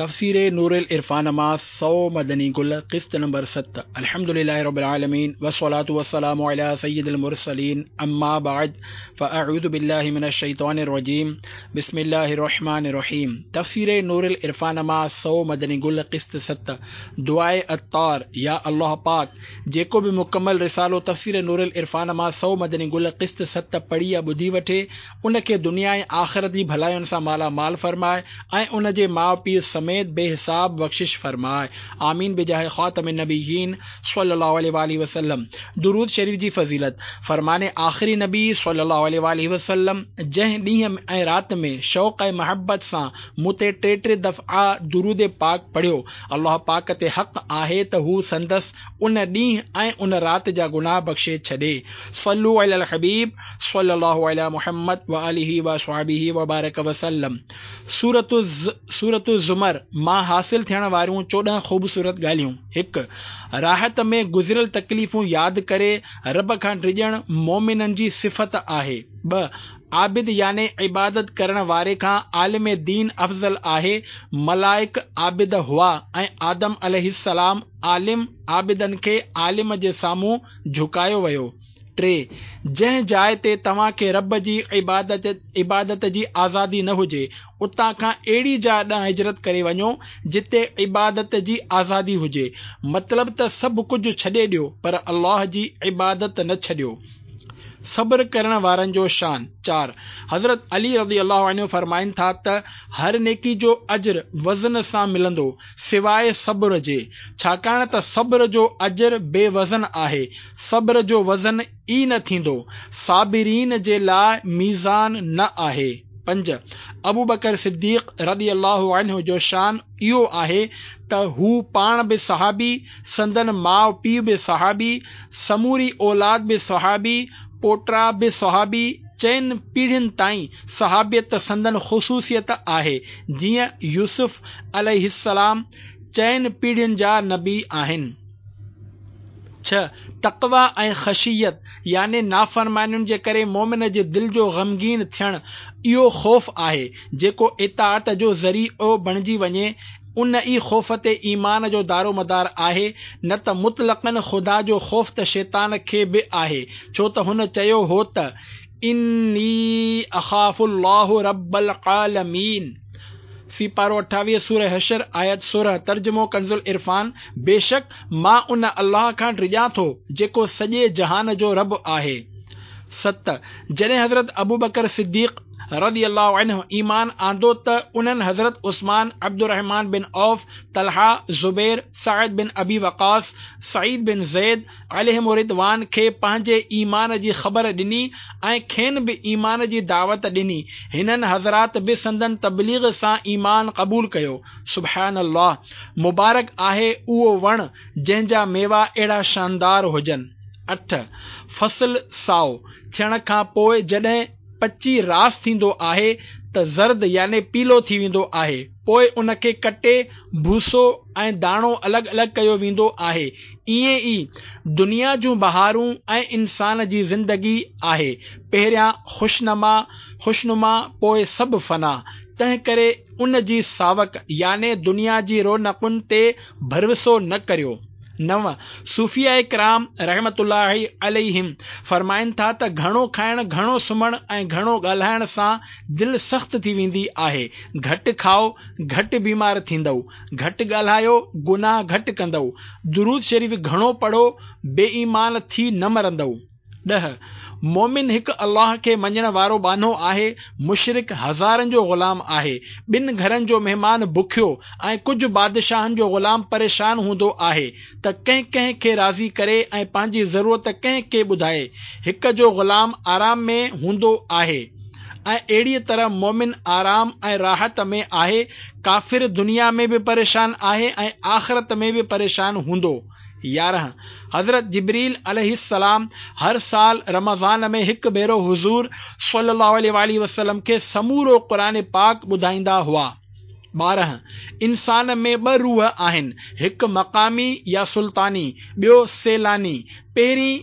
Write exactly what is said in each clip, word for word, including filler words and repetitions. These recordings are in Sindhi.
تفسير نور العرفان مان سؤ مدني گل قسط نمبر ست. الحمد لله رب العالمين والصلاة والسلام على سيد المرسلين اما بعد فاعوذ بالله من الشيطان الرجيم بسم الله الرحمن الرحيم. تفسير نور العرفان مان سؤ مدني گل قسط ست. دعاء عطار. يا الله پاڪ، جيڪو به مڪمل رسالو تفسير نور العرفان مان سؤ مدني گل قسط ست پڙهي يا ٻڌي وٺي، ان کي دنيا ۽ آخرت جي ڀلاين سان مالا مال فرماء ۽ ان جي ماء پيء سميت بي حساب بخشش فرماء. آمين بجاه خاتم النبيين صلي الله عليه واله وسلم. درود شريف جي فضيلت. فرمان آخري نبي صلي الله عليه واله وسلم، جنهن ڏينهن ۽ رات ۾ شوق ۽ محبت سان مون تي ٽي ٽي دفعا درود پاڪ پڙهيو، الله پاڪ تي حق آهي ته هو سندس ان ڏينهن ۽ ان رات جا گناهه بخشي ڇڏي. صلو علی الحبيب صلي الله علي محمد واله وصحبه وبارڪ وسلم. سورة سورة الزمر مان حاصل ٿيڻ واريون چوڏهن خوبصورت ڳالهيون. هڪ، راحت ۾ گذريل تڪليفون ياد ڪري رب کان ڊڄڻ مومنن جي صفت آهي. ٻه، عابد يعني عبادت ڪرڻ واري کان عالم دين افضل آهي. ملائڪ عابد هئا ۽ آدم عليه السلام عالم، عابدن کي عالم جي سامهون جهڪايو ويو. ٽي، جنهن جاءِ تي توهان کي رب جي عبادت عبادت جي آزادي نه هجي، اتان کان اهڙي جاءِ ڏانهن هجرت ڪري وڃو جتي عبادت جي آزادي هجي. مطلب ته سڀ ڪجهه ڇڏي ڏيو پر الله جي عبادت نه ڇڏيو. صبر ڪرڻ وارن جو شان. چار، حضرت علي رضي الله عنه فرمائن ٿا ته هر نيڪي جو اجر وزن سان ملندو سواءِ صبر جي، ڇاڪاڻ ته صبر جو اجر بي وزن آهي. صبر جو وزن ئي نه ٿيندو. صابرين جي لاءِ ميزان نه آهي. پنج، ابوبڪر صديق رضي الله عنه جو شان اهو آهي ته هو پاڻ به صحابي، سندن ماءُ پيءُ به صحابي، سموري اولاد به صحابي، پوٽا به صحابي، چئن پيڙهين تائين صحابيت سندن خصوصيت آهي، جيئن يوسف عليه السلام چئن پيڙهين جا نبي آهن. ڇهه، تقويٰ ۽ خشيت يعني نافرمانين جي ڪري مومن جي دل جو غمگين ٿيڻ اهو خوف آهي جيڪو اطاعت جو ذريعو بڻجي وڃي. ان ئي خوف تي ايمان جو دارومدار آهي، نه ته مطلقاً خدا جو خوف ته شيطان کي به آهي، ڇو ته هن چيو هو ته اني اخاف الله رب العالمين. سيپارو اٺاويهه، سوره حشر، آيت سورهن. ترجمو ڪنز العرفان، بيشڪ مان ان الله کان ڊڄان ٿو جيڪو سڄي جهان جو رب آهي. ست، جڏهن حضرت ابوبڪر صديق رضي الله عنه ايمان آندو ته انهن حضرت عثمان، عبدالرحمان بن عوف، طلحه، زبير، سعد بن ابي وقاص، سعيد بن زيد عليهم الرضوان کي پنهنجي ايمان جي خبر ڏني ۽ کين به ايمان جي دعوت ڏني. هنن حضرات به سندن تبليغ سان ايمان قبول ڪيو. سبحان الله، مبارڪ آهي اهو وڻ جنهن جا ميوا اهڙا شاندار هجن. اٺ، فصل سائو ٿيڻ کان پوءِ جڏهن پچي راس ٿيندو آهي ته زرد يعني پيلو ٿي ويندو آهي. پوءِ ان کي ڪٽي ڀوسو ۽ داڻو الڳ الڳ ڪيو ويندو آهي. ائين ئي دنيا جون بهارون ۽ انسان جي زندگي آهي. پهريان خوشنما خوشنما پوءِ سڀ فنا. تنهن ڪري ان جي ساوڪ يعني دنيا جي رونقن تي ڀروسو نه ڪريو. نو، صوفياء ڪرام رحمة الله عليهم فرمائن ٿا ته گهڻو کائڻ، گهڻو سمهڻ ۽ گهڻو ڳالهائڻ سان دل سخت ٿي ويندي آهي. گهٽ کائو، گهٽ بيمار ٿيندؤ. گهٽ ڳالهايو، گناهه گهٽ ڪندؤ. درود شريف گهڻو پڙهو، بي ايمان ٿي نه مرندؤ. ڏهه، مومن هڪ الله کي مڃڻ وارو ٻانهو آهي، مشرڪ هزارن جو غلام آهي. ٻن گهرن جو مهمان بکيو ۽ ڪجهه بادشاهن جو غلام پريشان هوندو آهي ته ڪنهن ڪنهن کي راضي ڪري ۽ پنهنجي ضرورت ڪنهن کي ٻڌائي. هڪ جو غلام آرام ۾ هوندو آهي ۽ اهڙيء طرح مومن آرام ۽ راحت ۾ آهي. ڪافر دنيا ۾ به پريشان آهي ۽ آخرت ۾ به پريشان هوندو. يارهن، حضرت جبريل عليه السلام هر سال رمضان ۾ هڪ ڀيرو حضور صلي الله عليه واله وسلم کي سمورو قرآن پاڪ ٻڌائيندا هئا. ٻارهن، انسان ۾ ٻه روح آهن، هڪ مقامي يا سلطاني، ٻيو سيلاني. پهرين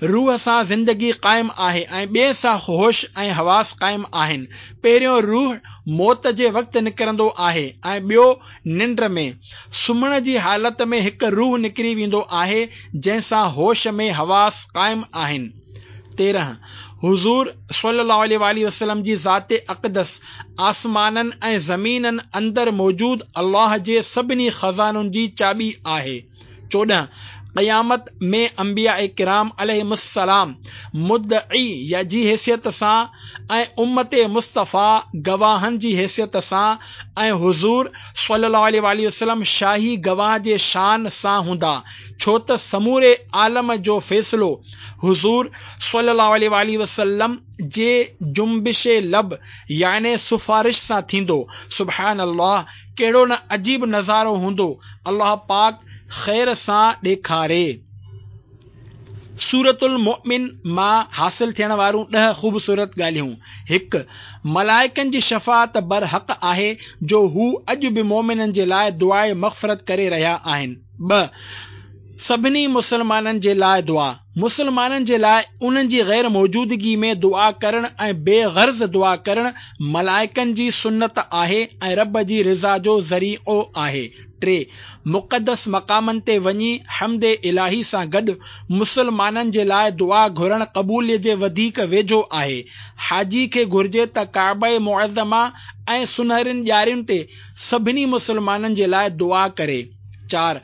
روح سان زندگي قائم آهي ۽ ٻئي سان هوش ۽ حواس قائم آهن. پهريون روح موت جي وقت نڪرندو آهي ۽ ٻيو ننڊ ۾. سمهڻ جي حالت ۾ هڪ روح نڪري ويندو آهي جنهن سان هوش ۾ حواس قائم آهن. تيرهن، حضور صلي الله عليه وآله وسلم جي ذات اقدس آسمانن ۽ زمينن اندر موجود الله جي سڀني خزانن جي چاٻي آهي. چوڏهن، قيامت ۾ انبياء ڪرام عليهم السلام مدعي جي حيثيت سان ۽ امت مصطفيٰ گواهن جي حيثيت سان ۽ حضور صلي الله عليه وآله وسلم شاهي گواهه جي شان سان هوندا، ڇو ته سموري عالم جو فيصلو حضور صلي الله عليه وآله وسلم جي جنبش لب يعني سفارش سان ٿيندو. سبحان الله، ڪهڙو نه عجيب نظارو هوندو، الله پاڪ خير سان ڏيکاري. سورة المؤمن مان حاصل ٿيڻ واريون ڏهه خوبصورت ڳالهيون. هڪ، ملائڪن جي شفاعت برحق آهي جو هو اڄ به مؤمنن جي لاء دعاء مغفرت ڪري رهيا آهن. ٻه، سڀني مسلمانن جي لاء دعا. مسلمانن جي لاء انهن جي غير موجودگي ۾ دعا ڪرڻ ۽ بي غرض دعا ڪرڻ ملائڪن جي سنت آهي ۽ رب جي رضا جو ذريعو آهي. ٽي، مقدس مقامن تي وڃي حمد الاهي سان گڏ مسلمانن جي لاء دعا گهرڻ قبوليت جي وڌيڪ ويجهو آهي. حاجي کي گهرجي ته ڪعبه معظمه ۽ سنهرين ڄارين تي سڀني مسلمانن جي لاء دعا ڪري. چار،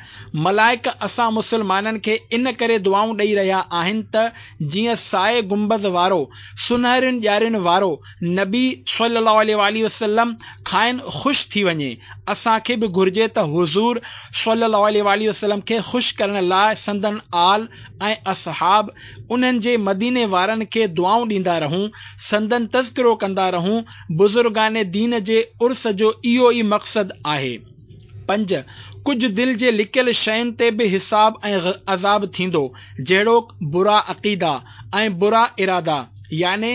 ملائڪ اسان مسلمانن کي ان ڪري دعائون ڏئي رهيا آهن ته جيئن سائي گنبذ وارو، سنهرين ڄارين وارو نبي صلي الله عليه وآله وسلم کانئن خوش ٿي وڃي. اسان کي به گهرجي ته حضور صلي الله عليه وآله وسلم کي خوش ڪرڻ لاء سندن آل ۽ اصحاب، انهن جي مديني وارن کي دعائون ڏيندا رهون، سندن تذڪرو ڪندا رهون. بزرگان دين جي عرس جو اهو ئي مقصد آهي. پنج، ڪجهه دل جي لڪيل شين تي به حساب ۽ عذاب ٿيندو، جهڙوڪ برا عقيدا ۽ برا ارادا، يعني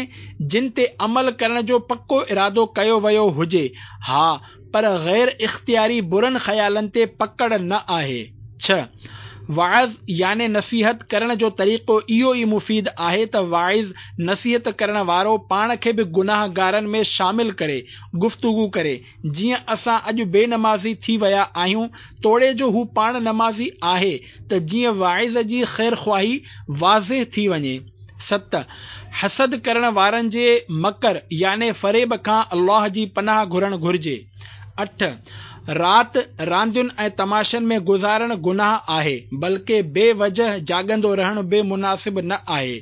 جن تي عمل ڪرڻ جو پڪو ارادو ڪيو ويو هجي، ها پر غير اختياري برن خيالن تي پڪڙ نه آهي. ڇهه، وعظ يعني نصيحت ڪرڻ جو طريقو اهو ئي مفيد آهي ته واعظ، نصيحت ڪرڻ وارو، پاڻ کي به گناهگارن ۾ شامل ڪري، گفتگو ڪري، جيئن اسان اڄ بي نمازي ٿي ويا آهيون، توڙي جو هو پاڻ نمازي آهي ته جيئن واعظ جي خيرخواهي واضح ٿي وڃي. ست، حسد ڪرڻ وارن جي مڪر يعني فريب کان الله جي پناهه گهرڻ گهرجي. اٺ، رات راندين ۽ تماشن ۾ گذارڻ گناهه آهي، بلڪه بي وجهه جاڳندو رهڻ به مناسب نه آهي.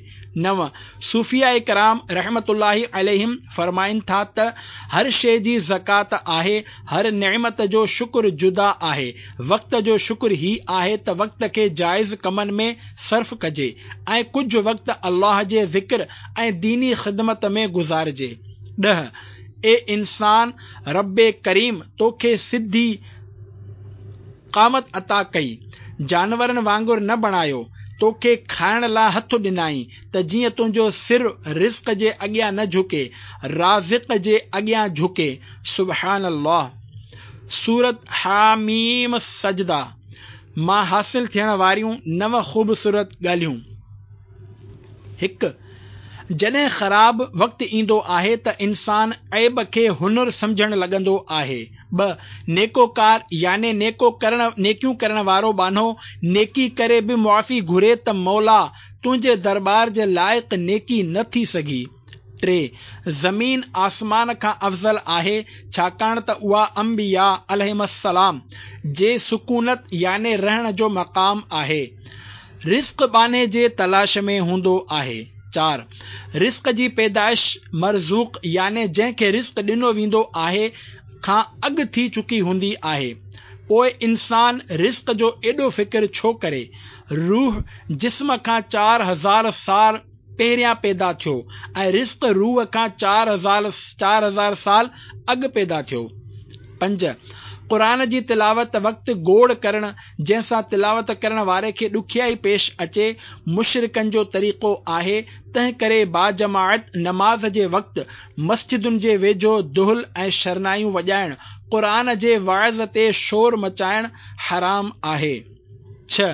نو، صوفياء ڪرام رحمة الله عليهم فرمائن ٿا ته هر شيء جي زڪوات آهي، هر نعمت جو شڪر جدا آهي، وقت جو شڪر هي آهي ته وقت کي جائز ڪمن ۾ صرف ڪجي ۽ ڪجهه وقت الله جي ذڪر ۽ ديني خدمت ۾ گذارجي. ڏهه، اي انسان! رب ڪريم توکي سڌي قامت عطا ڪئي، جانورن وانگر نه بڻايو، توکي کائڻ لاء هٿ ڏنائين ته جيئن تنهنجو سر رزق جي اڳيان نه جهڪي، رازق جي اڳيان جهڪي. سبحان الله. سورة حاميم سجده مان حاصل ٿيڻ واريون نو خوبصورت ڳالهيون. هڪ، جڏهن خراب وقت ايندو آهي ته انسان عيب کي هنر سمجهڻ لڳندو آهي. ٻه، نيڪوڪار يعني نيڪو ڪرڻ نيڪيون ڪرڻ وارو ٻانهو نيڪي ڪري به معافي گهري ته مولا تنهنجي درٻار جي لائق نيڪي نه ٿي سگهي. ٽي، زمين آسمان کان افضل آهي ڇاڪاڻ ته اها انبياء عليهم السلام جي سڪونت يعني رهڻ جو مقام آهي. رزق ٻانهي جي تلاش ۾ هوندو آهي. چار، رزق جي پيدائش مرزوق يعني جنهن کي رزق ڏنو ويندو آهي کان اڳ ٿي چڪي هوندي آهي. پوء انسان رزق جو ايڏو فڪر ڇو ڪري؟ روح جسم کان چار هزار سال پهريان پيدا ٿيو ۽ رزق روح کان چار هزار چار هزار سال اڳ پيدا ٿيو. پنج، قرآن جي تلاوت وقت گوڙ ڪرڻ جنهن سان تلاوت ڪرڻ واري کي ڏکيائي پيش اچي، مشرڪن جو طريقو آهي، تنهن ڪري باجماعت نماز جي وقت مسجدن جي ويجهو دهل ۽ شرنايون وڄائڻ، قرآن جي وعظ تي شور مچائڻ حرام آهي. ڇهه،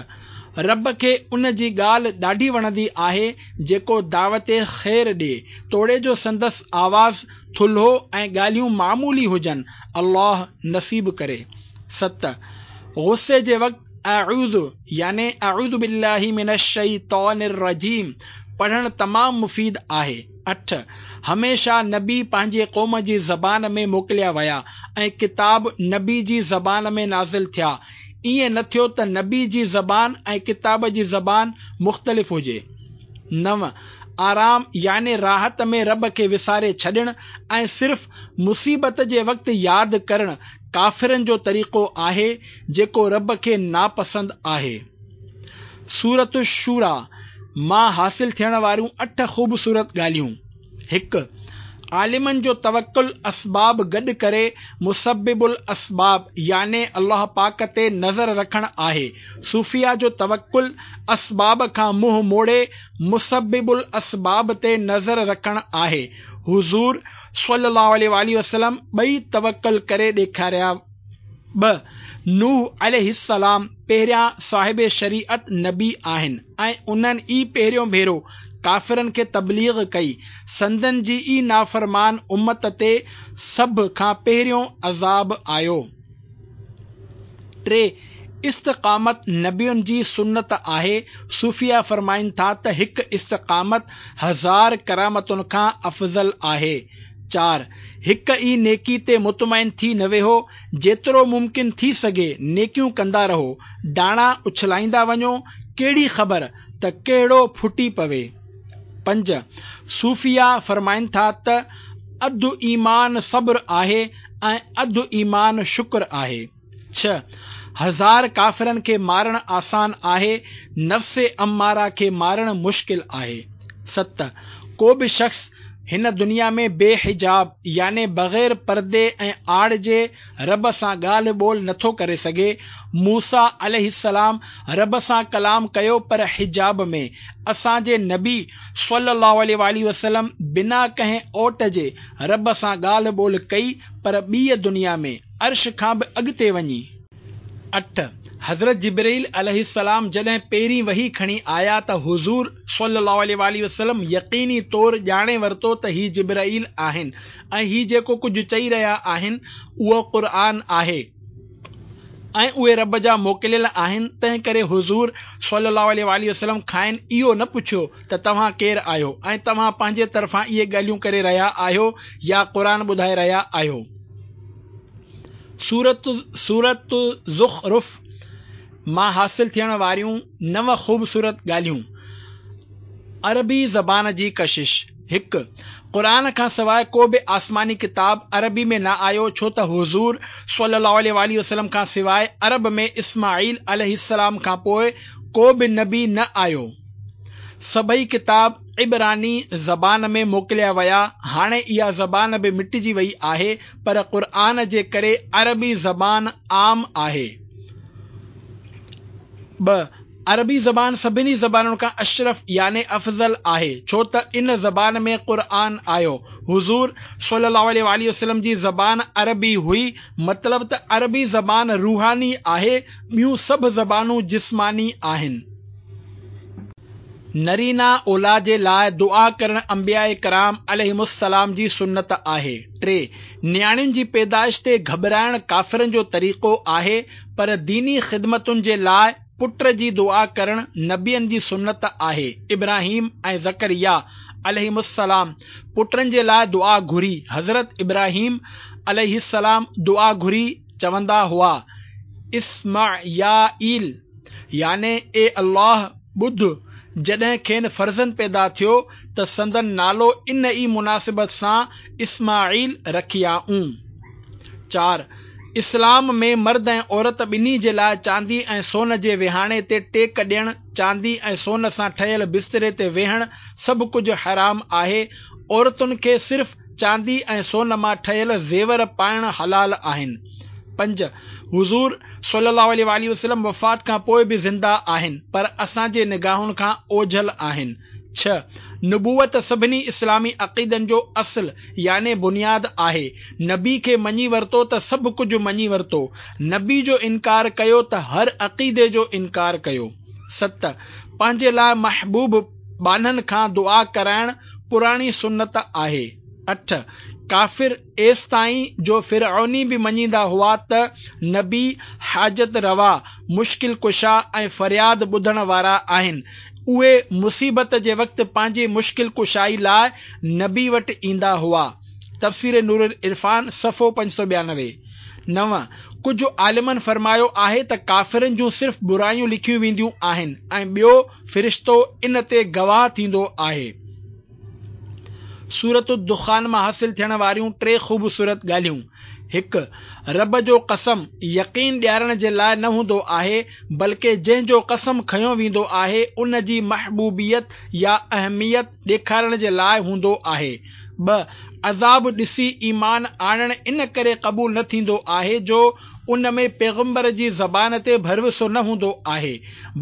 رب کي ان جي ڳالهه ڏاڍي وڻندي آهي جيڪو دعوت خير ڏئي، توڙي جو سندس آواز ٿلهو ۽ ڳالهيون معمولي هجن. الله نصيب ڪري. ست، غصي جي وقت اعوذ يعني اعوذ بالله من الشيطان الرجيم پڙهڻ تمام مفيد آهي. اٺ، هميشه نبي پنهنجي قوم جي زبان ۾ موڪليا ويا ۽ ڪتاب نبي جي زبان ۾ نازل ٿيا. ائين نه ٿيو ته نبي جي زبان ۽ ڪتاب جي زبان مختلف هجي. نو، آرام يعني راحت ۾ رب کي وساري ڇڏڻ ۽ صرف مصيبت جي وقت ياد ڪرڻ ڪافرن جو طريقو آهي، جيڪو رب کي ناپسند آهي. سورة الشوريٰ مان حاصل ٿيڻ واريون اٺ خوبصورت ڳالهيون. هڪ، عالمن جو توڪل اسباب گڏ ڪري مسبب الاسباب يعني الله پاڪ تي نظر رکڻ آهي. صوفيا جو توڪل اسباب کان منهن موڙي مسبب الاسباب تي نظر رکڻ آهي. حضور صلي الله عليه واٰله وسلم ٻئي توڪل ڪري ڏيکاريا. ٻه، نوح عليه السلام پهريان صاحب شريعت نبي آهن ۽ انهن ئي پهريون ڀيرو ڪافرن کي تبليغ ڪئي. سندن جي ئي نافرمان امت تي سڀ کان پهريون عذاب آيو. ٽي، استقامت نبين جي سنت آهي. صوفيا فرمائن ٿا ته هڪ استقامت هزار ڪرامتن کان افضل آهي. چار، هڪ ئي نيڪي تي مطمئن ٿي نه ويهو، جيترو ممڪن ٿي سگهي نيڪيون ڪندا رهو، داڻا اڇلائيندا وڃو، ڪهڙي خبر ته ڪهڙو ڦٽي پوي. پنج، صوفيا فرمائن ٿا ته اڌ ايمان صبر آهي ۽ اڌ ايمان شڪر آهي. ڇهه، هزار ڪافرن کي مارڻ آسان آهي، نفس اماره کي مارڻ مشڪل آهي. ست، ڪو به شخص هن دنيا ۾ بي حجاب يعني بغير پردي ۽ آڙ جي رب سان ڳالهه ٻولهه نٿو ڪري سگهي. موسيٰ عليه السلام رب سان ڪلام ڪيو پر حجاب ۾. اسان جي نبي صلي الله عليه واٰله وسلم بنا ڪنهن اوٽ جي رب سان ڳالهه ٻولهه ڪئي پر ٻيء دنيا ۾، عرش کان به اڳتي وڃي. اٺ، حضرت جبرئيل عليه السلام جڏهن پهرين وحي کڻي آيا ته حضور صلي الله عليه واٰله وسلم يقيني طور ڄاڻي ورتو ته هي جبرئيل آهن ۽ هي جيڪو ڪجهه چئي رهيا آهن اهو قرآن آهي ۽ اهي رب جا موڪليل آهن، تنهن ڪري حضور صلي الله عليه واٰله وسلم کانئن اهو نه پڇيو ته توهان ڪير آهيو ۽ توهان پنهنجي طرفان اهي ڳالهيون ڪري رهيا آهيو يا قرآن ٻڌائي رهيا آهيو. سورة سورة زخرف مان حاصل ٿيڻ واريون نو خوبصورت ڳالهيون. عربي زبان جي ڪشش. هڪ، قرآن کان سواء ڪو به آسماني ڪتاب عربي ۾ نه آيو، ڇو ته حضور صلي الله عليه واٰله وسلم کان سواء عرب ۾ اسماعيل عليه السلام کان پوء ڪو به نبي نه آيو. سڀئي ڪتاب عبراني زبان ۾ موڪليا ويا، هاڻي اها زبان به مٽجي وئي آهي، پر قرآن جي ڪري عربي زبان عام آهي. ٻه، عربي زبان سڀني زبانن کان اشرف يعني افضل آهي، ڇو ته ان زبان ۾ قرآن آيو. حضور صلي الله عليه واٰله وسلم جي زبان عربي هئي، مطلب ته عربي زبان روحاني آهي، ٻيون سڀ زبانون جسماني آهن. نرينه اولاد جي لاء دعا ڪرڻ انبياء ڪرام عليهم السلام جي سنت آهي. ٽي، نياڻين جي پيدائش تي گهٻرائڻ ڪافرن جو طريقو آهي، پر ديني خدمتن جي لاء پٽ جي دعا ڪرڻ نبين جي سنت آهي. ابراهيم ۽ زڪريا عليهم السلام پٽن جي لاء دعا گهري. حضرت ابراهيم عليه السلام دعا گهري چوندا هئا، اسمعيائيل يعني اي الله ٻڌ، جڏهن کين فرزند پيدا ٿيو ته سندن نالو ان ئي مناسبت سان اسماعيل رکيائون. چار، اسلام ۾ مرد ۽ عورت ٻنهي جي لاء چاندي ۽ سون جي وهاڻي تي ٽيڪ ڏيڻ، چاندي ۽ سون سان ٺهيل بستري تي ويهڻ سڀ ڪجهه حرام آهي، عورتن کي صرف چاندي ۽ سون مان ٺهيل زيور پائڻ حلال آهن. پنج، حضور صلي الله عليه واٰله وسلم وفات کان پوء به زنده آهن، پر اسان جي نگاهن کان اوجهل آهن. ڇهه، نبوت سڀني اسلامي عقيدن جو اصل يعني بنياد آهي. نبي کي مڃي ورتو ته سڀ ڪجهه مڃي ورتو، نبي جو انڪار ڪيو ته هر عقيدي جو انڪار ڪيو. ست، پنهنجي لاء محبوب ٻانهن کان دعا ڪرائڻ پراڻي سنت آهي. اٺ، ڪافر ايستائين جو فرعوني به مڃيندا هئا ته نبي حاجت روا، مشڪل ڪشا ۽ فرياد ٻڌڻ وارا آهن. اهي مصيبت جي وقت پنهنجي مشڪل ڪشائي لاء نبي وٽ ايندا هئا. تفسير نور العرفان صفحو پنج سؤ ٻيانوي. نو، ڪجهه عالمن فرمايو آهي ته ڪافرن جون صرف برايون لکيون وينديون آهن ۽ ٻيو فرشتو ان تي گواهه ٿيندو آهي. سورة الدخان مان حاصل ٿيڻ واريون ٽي خوبصورت ڳالهيون. هڪ، رب جو قسم يقين ڏيارڻ جي لاء نه هوندو آهي، بلڪه جنهن جو قسم کنيو ويندو آهي ان جي محبوبيت يا اهميت ڏيکارڻ جي لاء هوندو آهي. ٻه، عذاب ڏسي ايمان آڻڻ ان ڪري قبول نه ٿيندو آهي جو ان ۾ پيغمبر جي زبان تي ڀروسو نه هوندو آهي،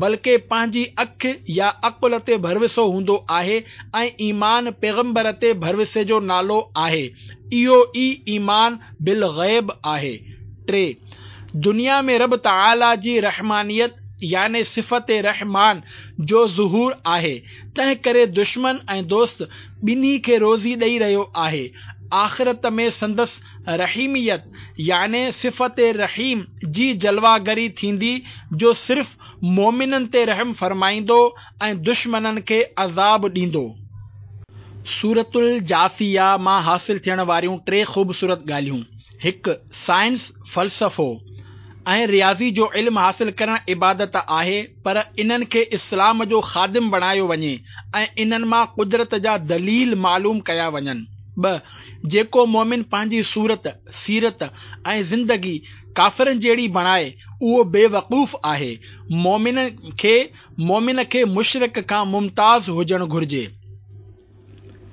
بلڪه پنهنجي اک يا عقل تي ڀروسو هوندو آهي ۽ ايمان پيغمبر تي ڀروسي جو نالو آهي، اهو ئي ايمان بالغيب آهي. ٽي، دنيا ۾ رب تعاليٰ جي رحمانيت يعني صفت رحمان جو ظهور آهي، تنهن ڪري دشمن ۽ دوست ٻنهي کي روزي ڏئي رهيو آهي. آخرت ۾ سندس رحيميت يعني صفت رحيم جي جلوه گري ٿيندي جو صرف مومنن تي رحم فرمائيندو ۽ دشمنن کي عذاب ڏيندو. سورة الجاثيه مان حاصل ٿيڻ واريون ٽي خوبصورت ڳالهيون. هڪ، سائنس، فلسفو ۽ رياضي جو علم حاصل ڪرڻ عبادت آهي، پر انهن کي اسلام جو خادم بڻايو وڃي ۽ انهن مان قدرت جا دليل معلوم ڪيا وڃن. ٻه، جيڪو مومن پنهنجي صورت، سيرت ۽ زندگي ڪافرن جهڙي بڻائي اهو بيوقوف آهي. مومن کي مومن کي مشرڪ کان ممتاز هجڻ گهرجي.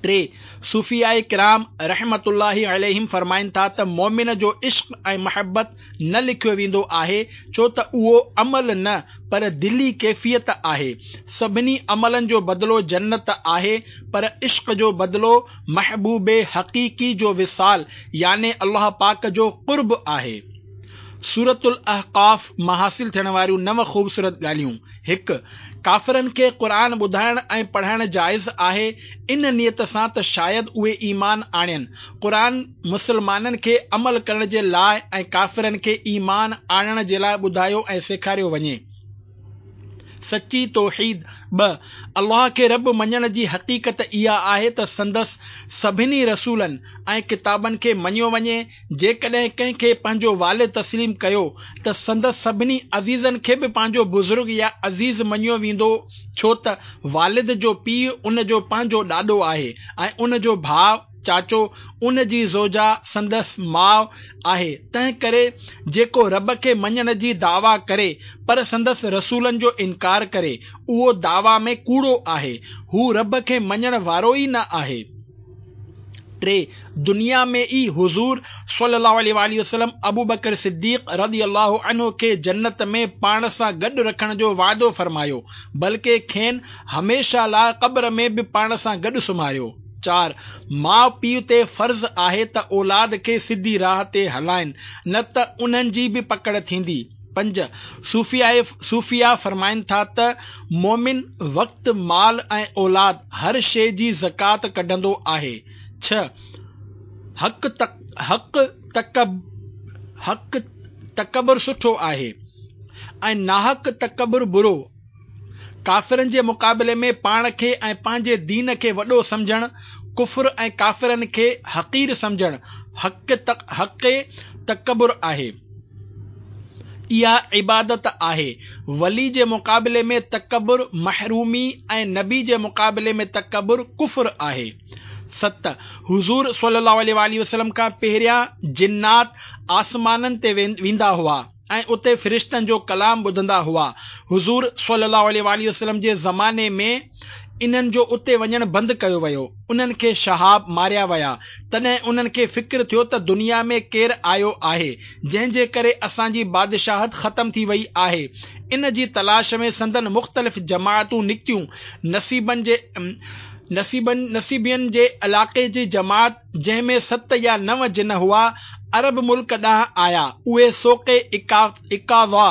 ٽي، صوفياء ڪرام رحمة الله عليهم فرمائن ٿا ته مومن جو عشق ۽ محبت نه لکيو ويندو آهي، ڇو ته اهو عمل نه پر دلي ڪيفيت آهي. سڀني عملن جو بدلو جنت آهي، پر عشق جو بدلو محبوب حقيقي جو وصال يعني الله پاڪ جو قرب آهي. سورة الاحقاف مان حاصل ٿيڻ واريون نو خوبصورت ڳالهيون. هڪ، ڪافرن کي قرآن ٻڌائڻ ۽ پڙهائڻ جائز آهي، ان نيت سان ته شايد اهي ايمان آڻين. قرآن مسلمانن کي عمل ڪرڻ جي لاء ۽ ڪافرن کي ايمان آڻڻ جي لاء ٻڌايو ۽ سيکاريو وڃي. سچي توحيد. ٻه، الله کي رب مڃڻ جي حقيقت اها آهي ته سندس سڀني رسولن ۽ ڪتابن کي مڃيو وڃي. جيڪڏهن ڪنهن کي پنهنجو والد تسليم ڪيو ته سندس سڀني عزيزن کي به پنهنجو بزرگ يا عزيز مڃيو ويندو، ڇو ته والد جو پيء ان جو پنهنجو ڏاڏو آهي ۽ ان جو ڀاء چاچو، ان جي زوجه سندس ماء آهي. تنهن ڪري جيڪو رب کي مڃڻ جي دعويٰ ڪري پر سندس رسولن جو انڪار ڪري اهو دعويٰ ۾ ڪوڙو آهي، هو رب کي مڃڻ وارو ئي نه آهي. ٽي، دنيا ۾ ئي حضور صلي الله عليه وآله وسلم ابوبڪر صديق رضي الله عنه کي جنت ۾ پاڻ سان گڏ رکڻ جو وعدو فرمايو، بلڪه کين هميشه لاء قبر ۾ به پاڻ سان گڏ سمهاريو. چار، ماء پيء تي فرض آهي ته اولاد کي سڌي راهه تي هلائن، نه ته انهن جي به پڪڙ ٿيندي. پنج، صوفياء صوفيا فرمائن ٿا ته مومن وقت، مال ۽ اولاد هر شيء جي زڪوات ڪڍندو آهي. ڇهه، حق حق تڪب حق تڪبر سٺو آهي ۽ ناحق تڪبر برو. ڪافرن جي مقابلي ۾ پاڻ کي ۽ پنهنجي دين کي وڏو سمجهڻ ڪفر ۽ ڪافرن کي حقير سمجهڻ حق حق تڪبر آهي. اها عبادت آهي. ولي جي مقابلي ۾ تڪبر محرومي ۽ نبي جي مقابلي ۾ تڪبر ڪفر آهي. ست، حضور صلي الله عليه وآله وسلم کان پهريان جنات آسمانن تي ويندا هئا ۽ اتي فرشتن جو ڪلام ٻڌندا هئا. حضور صلي الله عليه وآله وسلم جي زماني ۾ انهن جو اتي وڃڻ بند ڪيو ويو. انهن کي شهاب ماريا ويا. تڏهن انهن کي فڪر ٿيو ته دنيا ۾ ڪير آيو آهي، جنهن جي ڪري اسان جي بادشاهت ختم ٿي وئي آهي. ان جي تلاش ۾ سندن مختلف جماعتون نڪتيون. نصيبن جي نصيبن نصيبين جي علائقي جي جماعت جنهن ۾ ست يا نو جن هئا، عرب ملڪ ڏانهن آيا. اهي سوق عڪاظه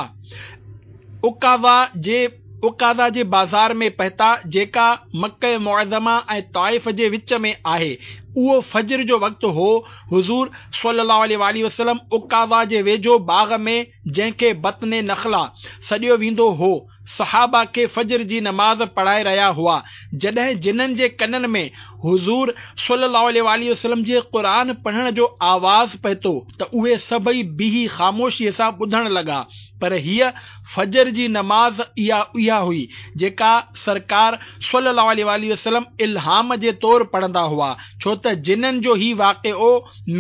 عڪاظه جي عڪاظه جي بازار ۾ پهتا، جيڪا مڪه معظمه ۽ طائف جي وچ ۾ آهي. اهو فجر جو وقت هو. حضور صلي الله عليه وآله وسلم عڪاظه جي ويجهو باغ ۾، جنهن کي بطن نخله سڏيو ويندو هو، صحابه کي فجر جي نماز پڙهائي رهيا هئا، جڏهن جنن جي ڪنن ۾ حضور صلي الله عليه وآله وسلم جي قرآن پڙهڻ جو آواز پهتو ته اهي سڀئي بيهي خاموشيء سان ٻڌڻ لڳا. پر هيء فجر جي نماز اها اها هئي جيڪا سرڪار صلي الله عليه وآله وسلم الهام جي طور پڙهندا هئا، ڇو ته جنن جو هي واقعو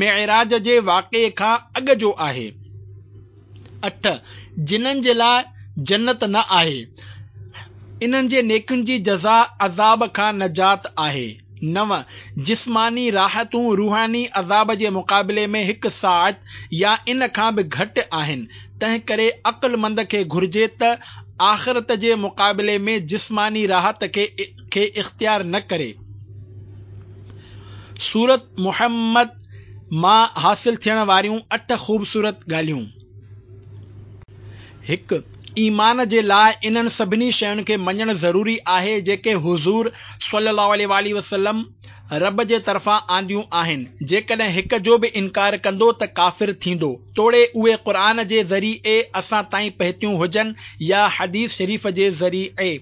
معراج جي واقعي کان اڳ جو آهي. اٺ، جنن جي لاء جنت نه آهي، انهن جي نيڪين جي جزا عذاب کان نجات آهي. نو، جسماني راحتون روحاني عذاب جي مقابلي ۾ هڪ ساعت يا ان کان به گهٽ آهن، تنهن ڪري عقلمند کي گهرجي ته آخرت جي مقابلي ۾ جسماني راحت کي اختيار نه ڪري. سورت محمد مان حاصل ٿيڻ واريون اٺ خوبصورت ڳالهيون. هڪ، ايمان جي لاء انهن سڀني شين کي مڃڻ ضروري آهي جيڪي حضور صلي الله عليه وآله وسلم رب جي طرفان آنديون آهن. جيڪڏهن هڪ جو به انڪار ڪندو ته ڪافر ٿيندو، توڙي اهي قرآن جي ذريعي اسان تائين پهتيون هجن يا حديث شريف جي ذريعي.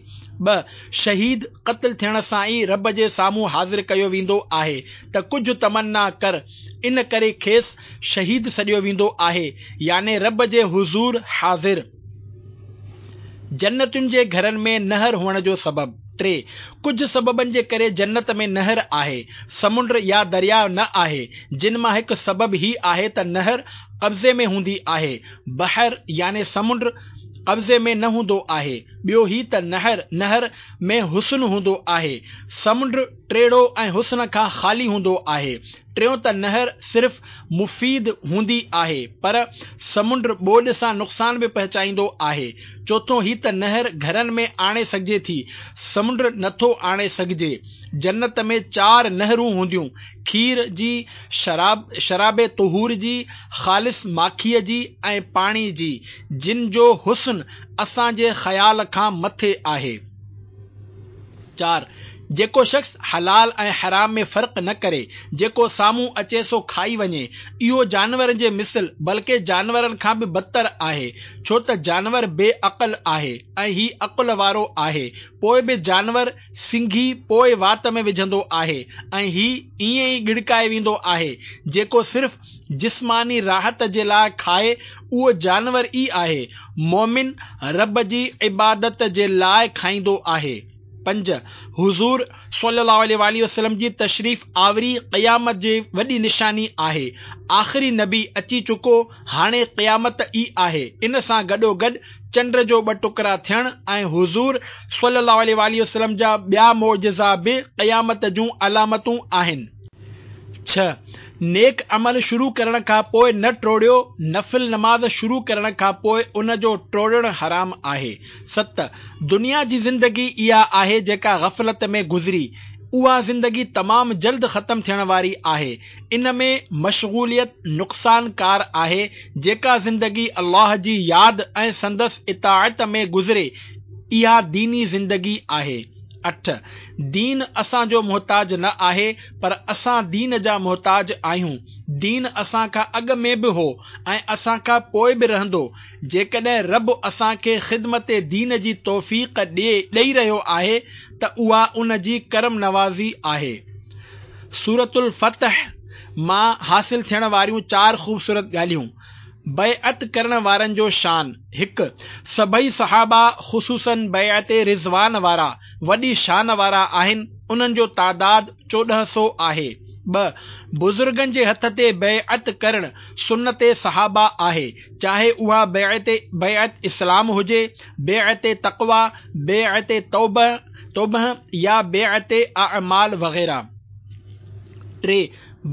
ٻه، شهيد قتل ٿيڻ سان ئي رب جي سامهون حاضر ڪيو ويندو آهي ته ڪجهه تمنا ڪر، ان ڪري کيس شهيد سڏيو ويندو آهي، يعني رب جي حضور حاضر. جنتن جي گهرن ۾ نهر هئڻ جو سبب. ٽي، ڪجهه سببن جي ڪري جنت ۾ نهر آهي، سمنڊ يا درياء نه آهي، جن مان هڪ سبب هي آهي ته نهر قبضي ۾ هوندي آهي، بحر يعني سمنڊ قبضي ۾ نه هوندو آهي. ٻيو هي ته نهر نهر ۾ حسن هوندو آهي، سمنڊ ٽيڙو ۽ حسن کان خالي هوندو آهي. ٽيون ته نهر صرف مفيد هوندي آهي، پر سمنڊ ٻوڏ سان نقصان به پهچائيندو آهي. چوٿون هي ته نهر گهرن ۾ آڻي سگهجي ٿي، سمنڊ نٿو آڻي سگهجي. جنت ۾ چار نهرون هونديون، کير جي، شراب شراب طهور جي، خالص ماکيء جي ۽ پاڻي جي، جن جو حسن اسان جي خيال کان مٿي آهي. چار، جيڪو شخص حلال ۽ حرام ۾ فرق نه ڪري، جيڪو سامهون اچي سو کائي وڃي، اهو جانورن جي مثل بلڪه جانورن کان به بدتر آهي، ڇو ته جانور بي عقل آهي ۽ هي عقل وارو آهي، پوء به جانور سنگهي پوء وات ۾ وجهندو آهي ۽ هي ائين ئي ڳڙڪائي ويندو آهي. جيڪو صرف جسماني راحت جي لاء کائي اهو جانور ئي آهي، مؤمن رب جي عبادت جي لاء کائيندو آهي. پنج، حضور صلي الله عليه وآله وسلم جي تشريف آوري قيامت جي وڏي نشاني آهي. آخري نبي اچي چڪو، هاڻي قيامت ئي آهي. ان سان گڏوگڏ چنڊ جو ٻه ٽڪرا ٿيڻ ۽ حضور صلي الله عليه وآله وسلم جا ٻيا معجزا به قيامت جون علامتون آهن. ڇهه، نيڪ عمل شروع ڪرڻ کان پوء نه ٽوڙيو، نفل نماز شروع ڪرڻ کان پوء ان جو ٽوڙڻ حرام آهي. ست، دنيا جي زندگي اها آهي جيڪا غفلت ۾ گذري، اها زندگي تمام جلد ختم ٿيڻ واري آهي، ان ۾ مشغوليت نقصانڪار آهي، جيڪا زندگي الله جي ياد ۽ سندس اطاعت ۾ گذري اها ديني زندگي آهي. اٺ، دين اسان جو محتاج نه آهي، پر اسان دين جا محتاج آهيون. دين اسان کان اڳ ۾ به هو ۽ اسان کان پوء به رهندو. جيڪڏهن رب اسان کي خدمت دين جي توفيق ڏئي رهيو آهي ته اها ان جي ڪرم نوازي آهي. سورة الفتح مان حاصل ٿيڻ واريون چار خوبصورت ڳالهيون. بيعت ڪرڻ وارن جو شان. هڪ، سڀئي صحابه خصوصاً بيعت رضوان وارا وڏي شان وارا آهن، انهن جو تعداد چوڏهن سو آهي. ٻه، بزرگن جي هٿ تي بيعت ڪرڻ سنت صحابه آهي، چاهي اها بيعت بيعت اسلام هجي، بيعت تقويٰ، بيعت توبه توبه يا بيعت اعمال وغيره. ٽي،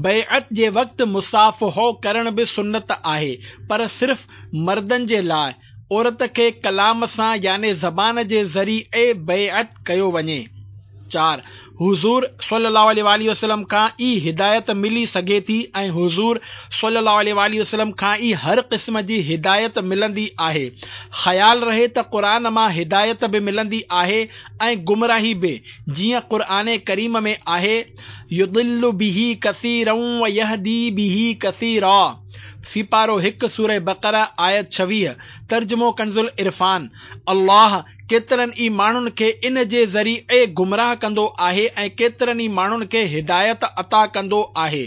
بيعت جي وقت مصافحو ڪرڻ به سنت آهي، پر صرف مردن جي لاء، عورت کي ڪلام سان يعني زبان جي ذريعي بيعت ڪيو وڃي. چار، حضور صلي الله عليه وآله وسلم کان ئي هدايت ملي سگهي ٿي ۽ حضور صلي الله عليه وآله وسلم کان ئي هر قسم جي هدايت ملندي آهي. خيال رهي ته قرآن مان هدايت به ملندي آهي ۽ گمراهي به، جيئن قرآن ڪريم ۾ آهي، يضل به ڪثيرا ويهدي به ڪثيرا، سيپارو هڪ، سوره بقره آيت ڇويهه، ترجمو ڪنزالعرفان، الله ڪيترن ئي ماڻهن کي ان جي ذريعي گمراهه ڪندو آهي ۽ ڪيترن ئي ماڻهن کي هدايت عطا ڪندو آهي.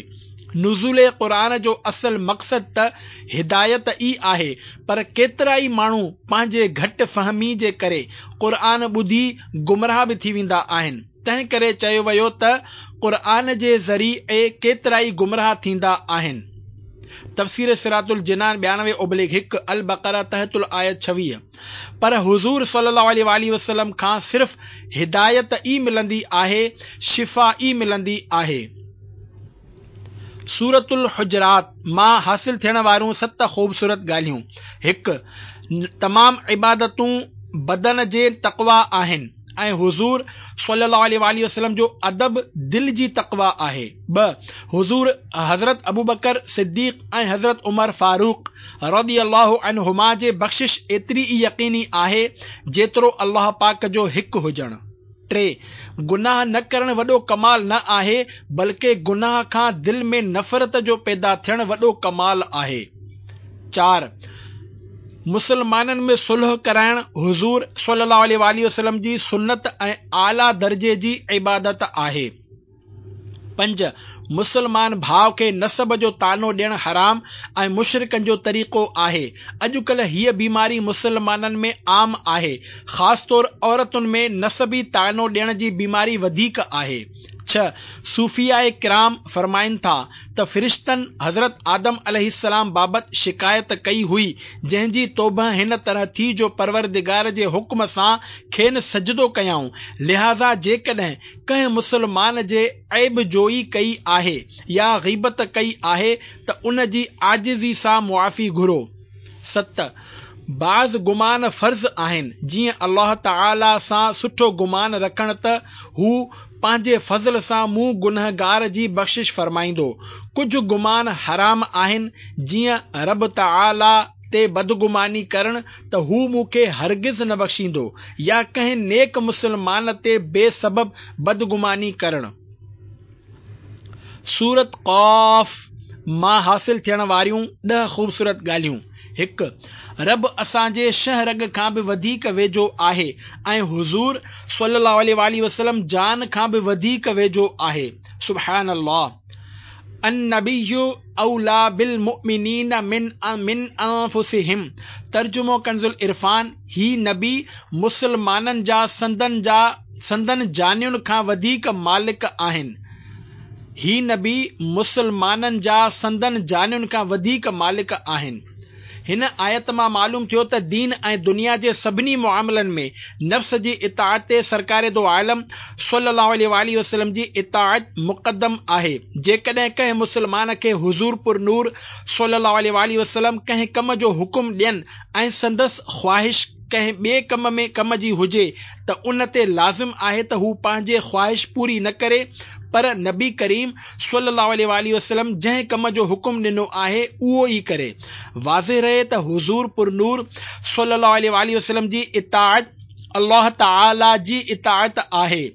نزول قرآن جو اصل مقصد ته هدايت ئي آهي، پر ڪيترائي ماڻهو پنهنجي گهٽ فهمي جي ڪري قرآن ٻڌي گمراهه به ٿي ويندا آهن، تنهن ڪري چيو ويو ته قرآن جي ذريعي ڪيترائي گمراهه ٿيندا آهن. تفسير صراط الجنان ٻيانوي اوبليڪ هڪ، البقره تحت الآيت ڇويهه. پر حضور صلي الله عليه واٰله وسلم کان صرف هدايت ئي ملندي آهي، شفا ئي ملندي آهي. سورة الحجرات مان حاصل ٿيڻ واريون ست خوبصورت ڳالهيون، هڪ. تمام عبادتون بدن جي تقويٰ آهن ۽ حضور صلي الله عليه واٰله وسلم جو ادب دل جي تقويٰ آهي. ٻه. حضور حضرت ابوبڪر صديق ۽ حضرت عمر فاروق رضي الله عنهما جي بخشش ايتري ئي يقيني آهي جيترو الله پاڪ جو هڪ هجڻ. ٽي. گناهه نه ڪرڻ وڏو ڪمال نه آهي، بلڪه گناهه کان دل ۾ نفرت جو پيدا ٿيڻ وڏو ڪمال آهي. چار. مسلمانن ۾ صلح ڪرائڻ حضور صلي الله عليه واٰله وسلم جي سنت ۽ اعليٰ درجي جي عبادت آهي. پنج. مسلمان ڀاء کي نسب جو طعنو ڏيڻ حرام ۽ مشرڪن جو طريقو آهي. اڄڪلهه هيء بيماري مسلمانن ۾ عام آهي. خاص طور عورتن ۾ نسبي طعنو ڏيڻ جي بيماري وڌيڪ آهي. ڇهه. صوفياء ڪرام فرمائن ٿا ته فرشتن حضرت آدم عليه السلام بابت شڪايت ڪئي هئي جنهن جي توبهه هن طرح ٿي جو پروردگار جي حڪم سان کين سجدو ڪيائون، لهٰذا جيڪڏهن ڪنهن مسلمان جي عيب جوئي ڪئي آهي يا غيبت ڪئي آهي ته ان جي عاجزي سان معافي گهرو. ست. بعض گمان فرض آهن، جيئن الله تعاليٰ سان سٺو گمان رکڻ ته هو پنهنجي فضل سان مون گنهگار جي بخشش فرمائيندو. ڪجهه گمان حرام آهن، جيئن رب تعاليٰ تي بدگماني ڪرڻ ته هو مون کي هرگز نه بخشيندو يا ڪنهن نيڪ مسلمان تي بي سبب بدگماني ڪرڻ. سورة قاف مان حاصل ٿيڻ واريون ڏهه خوبصورت ڳالهيون، هڪ. رب اسان جي شهه رڳ کان به وڌيڪ ويجهو آهي ۽ حضور صلي الله عليه واٰله وسلم جان کان به وڌيڪ ويجهو آهي. سبحان الله. النبي اوليٰ بالمؤمنين من من انفسهم ترجمو ڪنزالعرفان، هي نبي مسلمانن جا سندن جا سندن جانين کان وڌيڪ مالڪ آهن. هي نبي مسلمانن جا سندن جانين کان وڌيڪ مالڪ آهن. هن آيت مان معلوم ٿيو ته دين ۽ دنيا جي سڀني معاملن ۾ نفس جي اطاعت تي سرڪار دو عالم صلي الله عليه واٰله وسلم جي اطاعت مقدم آهي. جيڪڏهن ڪنهن مسلمان کي حضور پر نور صلي الله عليه واٰله وسلم ڪنهن ڪم جو حڪم ڏين ۽ سندس خواهش ڪنهن ٻئي ڪم ۾ ڪم جي هجي ته ان تي لازم آهي ته هو پنهنجي خواهش پوري نه ڪري پر نبي ڪريم صلي الله عليه واٰله وسلم جنهن ڪم جو حڪم ڏنو آهي اهو ئي ڪري. واضح رهي ته حضور پرنور صلي الله عليه واٰله وسلم جي اطاعت الله تعالي جي اطاعت آهي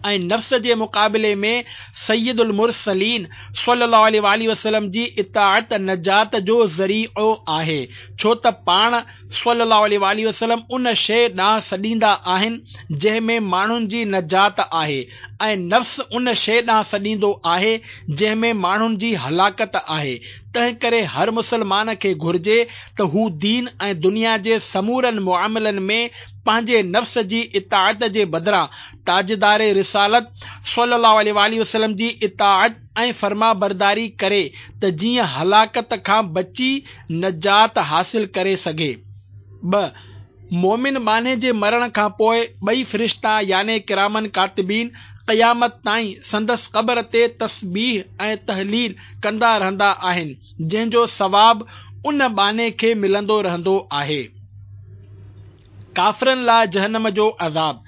۽ نفس جي مقابلي ۾ سيد المرسلين صلي الله عليه واٰله وسلم جي اطاعت نجات جو ذريعو آهي ڇو ته پاڻ صلي الله عليه واٰله وسلم ان شيء ڏانهن سڏيندا آهن جنهن ۾ ماڻهن جي نجات آهي ۽ نفس ان شيء ڏانهن سڏيندو آهي جنهن ۾ ماڻهن جي هلاڪت آهي تنهنڪري هر مسلمان کي گهرجي ته هو دين ۽ دنيا جي سمورن معاملن ۾ پنهنجي نفس جي اطاعت جي بدران تاجدار رسالت صلي الله عليه واٰله وسلم جي اطاعت ۽ فرمانبرداري ڪري ته جيئن هلاڪت کان بچي نجات حاصل ڪري سگهي. ٻه. مؤمن ٻانهي جي مرڻ کان پوء ٻئي فرشتا يعني ڪراماً ڪاتبين قيامت تائين سندس قبر تي تسبيح ۽ تهليل ڪندا رهندا آهن جنهن جو ثواب ان ٻانهي کي ملندو رهندو آهي. ڪافرن لاء جهنم جو عذاب.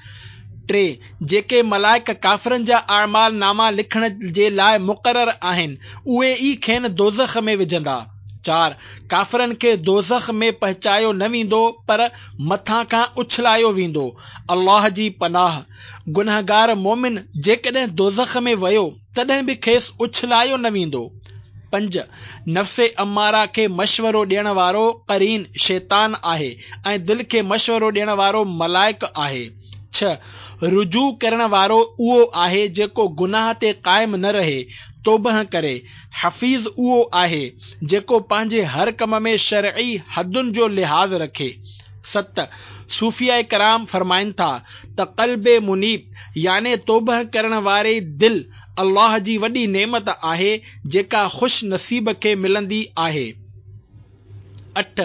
ٽي. جيڪي ملائڪ ڪافرن جا اعمال ناما لکڻ جي لاء مقرر آهن، اهي ئي کين دوزخ ۾ وجهندا. چار، ڪافرن کي دوزخ ۾ پهچايو نه ويندو پر مٿان کان اڇلايو ويندو. الله جي پناهه. گنهگار مومن جيڪڏهن دوزخ ۾ ويو تڏهن به کيس اڇلايو نه ويندو. پنج، نفس اماره کي مشورو ڏيڻ وارو قرين شيطان آهي ۽ دل کي مشورو ڏيڻ وارو ملائڪ آهي. ڇهه، رجوع ڪرڻ وارو اهو آهي جيڪو گناهه تي قائم نه رهي، توبه ڪري. حفيظ اهو آهي جيڪو پنهنجي هر ڪم ۾ شرعي حدن جو لحاظ رکي. ست، صوفياء ڪرام فرمائن ٿا ته قلب منيب يعني توبه ڪرڻ واري دل الله جي وڏي نعمت آهي جيڪا خوش نصيب کي ملندي آهي. اٺ،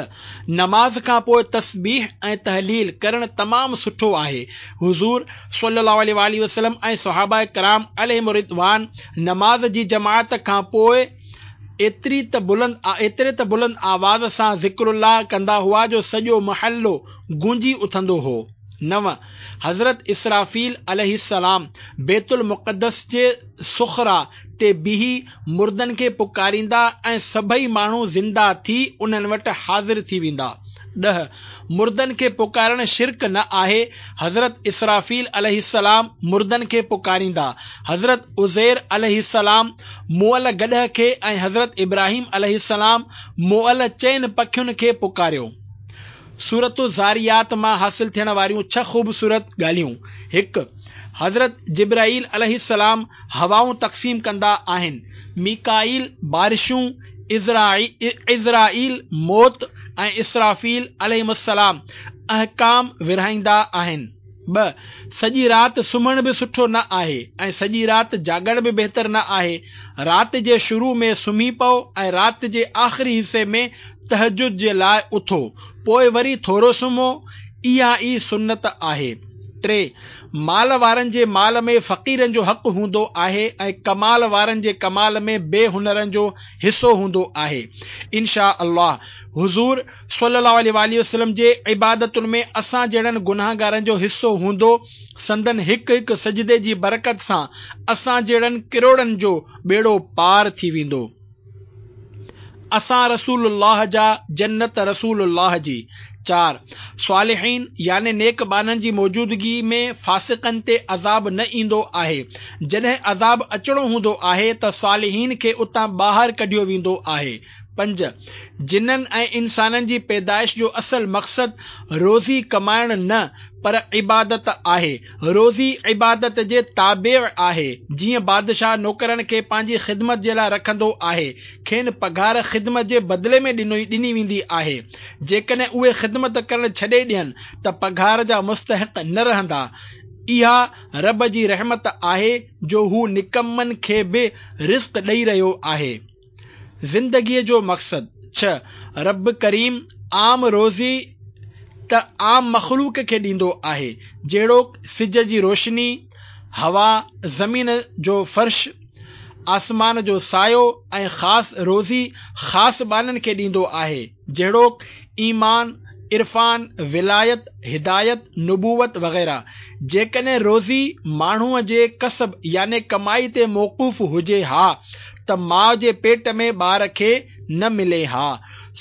نماز کان پوء تسبيح ۽ تهليل ڪرڻ تمام سٺو آهي. حضور صلي الله عليه واٰله وسلم ۽ صحابه ڪرام عليهم الرضوان نماز جي جماعت کان پوء ايتري ته بلند ايتري ته بلند آواز سان ذڪر الله ڪندا هئا جو سڄو محلو گونجي اٿندو هو. نو، حضرت اسرافيل عليه السلام بيت المقدس جي صخره تي بيهي مردن کي پڪاريندا ۽ سڀئي ماڻهو زنده ٿي انهن وٽ حاضر ٿي ويندا. ڏهه، مردن کي پڪارڻ شرڪ نه آهي. حضرت اسرافيل عليه السلام مردن کي پڪاريندا. حضرت عزير عليه السلام مئل گڏهه کي ۽ حضرت ابراهيم عليه السلام مئل چئن پکين کي پڪاريو. سورة الذاريات مان حاصل ٿيڻ واريون ڇهه خوبصورت ڳالهيون. هڪ، حضرت جبرائيل عليه السلام هوائون تقسيم ڪندا آهن، ميڪائيل بارشون، عزرائيل موت ۽ اسرافيل عليهم السلام احڪام ورهائيندا آهن. ٻه، سڄي رات سمهڻ به سٺو نه آهي ۽ سڄي رات جاڳڻ به بهتر نه آهي. رات جي شروع ۾ سمهي پئو ۽ رات جي آخري حصي ۾ تهجد جي لاء اٿو، پوء وري ٿورو سمهو، اها ئي سنت آهي. ٽي، مال وارن جي مال ۾ فقيرن جو حق هوندو آهي ۽ ڪمال وارن جي ڪمال ۾ بي هنرن جو حصو هوندو آهي. ان شاء الله حضور صلي الله عليه واٰله وسلم جي عبادتن ۾ اسان جهڙن گنهگارن جو حصو هوندو، سندن هڪ هڪ سجدي جي برڪت سان اسان جهڙن ڪروڙن جو ٻيڙو پار ٿي ويندو. اسان رسول الله جا، جنت رسول الله جي. چار، صالحين يعني نيڪ ٻانهن جي موجودگي ۾ فاسقن تي عذاب نه ايندو آهي. جڏهن عذاب اچڻو هوندو آهي ته صالحين کي اتان ٻاهر ڪڍيو ويندو آهي. پنج، جنن ۽ انسانن جي پيدائش جو اصل مقصد روزي ڪمائڻ نه پر عبادت آهي. روزي عبادت جي تابع آهي. جيئن بادشاهه نوڪرن کي پنهنجي خدمت جي لاء رکندو آهي، کين پگهار خدمت جي بدلي ۾ ڏني ويندي آهي. جيڪڏهن اهي خدمت ڪرڻ ڇڏي ڏين ته پگهار جا مستحق نه رهندا. اها رب جي رحمت آهي جو هو نڪمن کي به رزق ڏئي رهيو آهي. زندگيء جو مقصد. ڇهه، رب ڪريم عام روزي ته عام مخلوق کي ڏيندو آهي، جهڙوڪ سج جي روشني، هوا، زمين جو فرش، آسمان جو سايو ۽ خاص روزي خاص ٻانهن کي ڏيندو آهي، جهڙوڪ ايمان، عرفان، ولايت، هدايت، نبوت وغيره. جيڪڏهن روزي ماڻهوء جي ڪسب يعني ڪمائي تي موقوف هجي ها ته ماء جي پيٽ ۾ ٻار کي نه ملي ها.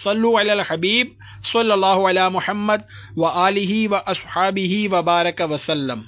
صلو علی الحبيب صلي الله علی محمد وآله واصحابه وبارڪ وسلم.